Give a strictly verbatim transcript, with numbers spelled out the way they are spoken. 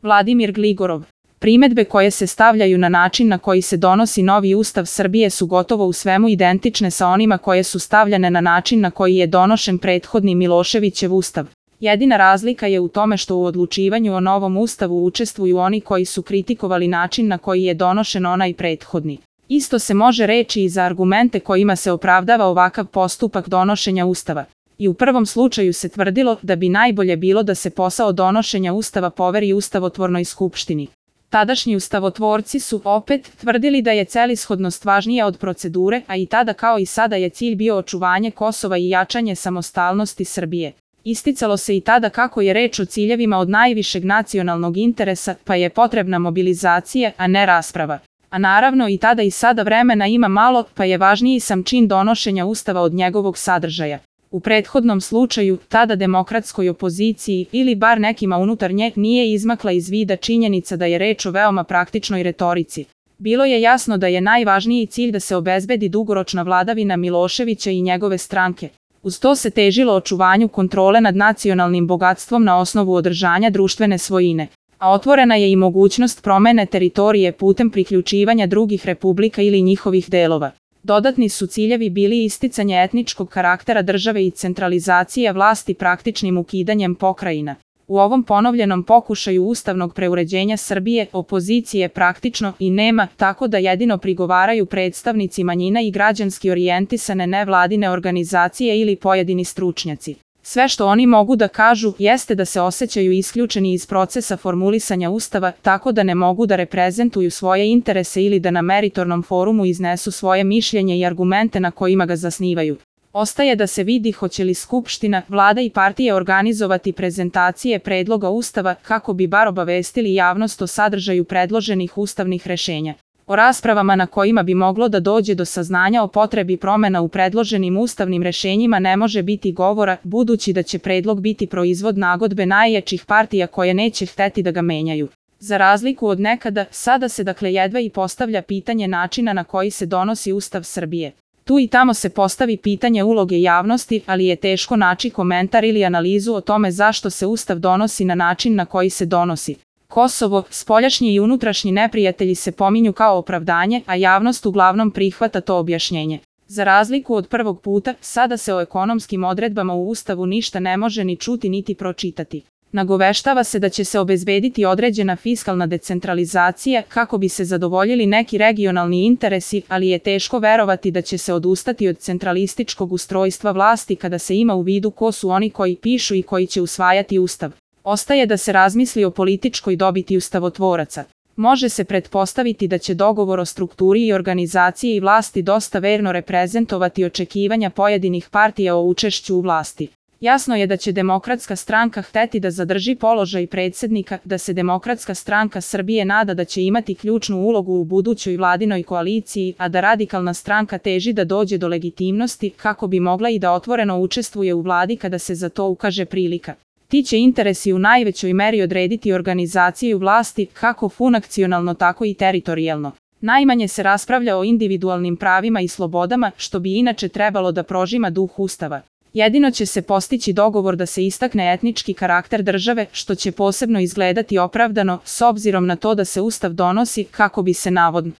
Vladimir Gligorov. Primedbe koje se stavljaju na način na koji se donosi novi Ustav Srbije su gotovo u svemu identične sa onima koje su stavljane na način na koji je donošen prethodni Miloševićev Ustav. Jedina razlika je u tome što u odlučivanju o novom Ustavu učestvuju oni koji su kritikovali način na koji je donošen onaj prethodni. Isto se može reći i za argumente kojima se opravdava ovakav postupak donošenja Ustava. I u prvom slučaju se tvrdilo da bi najbolje bilo da se posao donošenja Ustava poveri Ustavotvornoj skupštini. Tadašnji ustavotvorci su opet tvrdili da je celishodnost važnija od procedure, a i tada kao i sada je cilj bio očuvanje Kosova i jačanje samostalnosti Srbije. Isticalo se i tada kako je reč o ciljevima od najvišeg nacionalnog interesa, pa je potrebna mobilizacija, a ne rasprava. A naravno i tada i sada vremena ima malo, pa je važniji sam čin donošenja Ustava od njegovog sadržaja. U prethodnom slučaju, tada demokratskoj opoziciji, ili bar nekima unutar nje, nije izmakla iz vida činjenica da je reč o veoma praktičnoj retorici. Bilo je jasno da je najvažniji cilj da se obezbedi dugoročna vladavina Miloševića i njegove stranke. Uz to se težilo očuvanju kontrole nad nacionalnim bogatstvom na osnovu održanja društvene svojine. A otvorena je i mogućnost promene teritorije putem priključivanja drugih republika ili njihovih delova. Dodatni su ciljevi bili isticanje etničkog karaktera države i centralizacija vlasti praktičnim ukidanjem pokrajina. U ovom ponovljenom pokušaju ustavnog preuređenja Srbije opozicije praktično i nema, tako da jedino prigovaraju predstavnici manjina i građanski orijentisane nevladine organizacije ili pojedini stručnjaci. Sve što oni mogu da kažu jeste da se osjećaju isključeni iz procesa formulisanja Ustava, tako da ne mogu da reprezentuju svoje interese ili da na meritornom forumu iznesu svoje mišljenje i argumente na kojima ga zasnivaju. Ostaje da se vidi hoće li Skupština, Vlada i partije organizovati prezentacije predloga Ustava kako bi bar obavestili javnost o sadržaju predloženih ustavnih rešenja. O raspravama na kojima bi moglo da dođe do saznanja o potrebi promena u predloženim ustavnim rešenjima ne može biti govora, budući da će predlog biti proizvod nagodbe najjačih partija koje neće hteti da ga menjaju. Za razliku od nekada, sada se dakle jedva i postavlja pitanje načina na koji se donosi Ustav Srbije. Tu i tamo se postavi pitanje uloge javnosti, ali je teško naći komentar ili analizu o tome zašto se Ustav donosi na način na koji se donosi. Kosovo, spoljašnji i unutrašnji neprijatelji se pominju kao opravdanje, a javnost uglavnom prihvata to objašnjenje. Za razliku od prvog puta, sada se o ekonomskim odredbama u Ustavu ništa ne može ni čuti niti pročitati. Nagoveštava se da će se obezbediti određena fiskalna decentralizacija kako bi se zadovoljili neki regionalni interesi, ali je teško verovati da će se odustati od centralističkog ustrojstva vlasti kada se ima u vidu ko su oni koji pišu i koji će usvajati Ustav. Ostaje da se razmisli o političkoj dobiti ustavotvoraca. Može se pretpostaviti da će dogovor o strukturi i organizaciji vlasti dosta verno reprezentovati očekivanja pojedinih partija o učešću u vlasti. Jasno je da će Demokratska stranka hteti da zadrži položaj predsjednika, da se Demokratska stranka Srbije nada da će imati ključnu ulogu u budućoj vladinoj koaliciji, a da Radikalna stranka teži da dođe do legitimnosti kako bi mogla i da otvoreno učestvuje u vladi kada se za to ukaže prilika. Ti će interesi u najvećoj meri odrediti organizaciju vlasti kako funkcionalno tako i teritorijalno. Najmanje se raspravlja o individualnim pravima i slobodama, što bi inače trebalo da prožima duh Ustava. Jedino će se postići dogovor da se istakne etnički karakter države, što će posebno izgledati opravdano, s obzirom na to da se Ustav donosi kako bi se navodno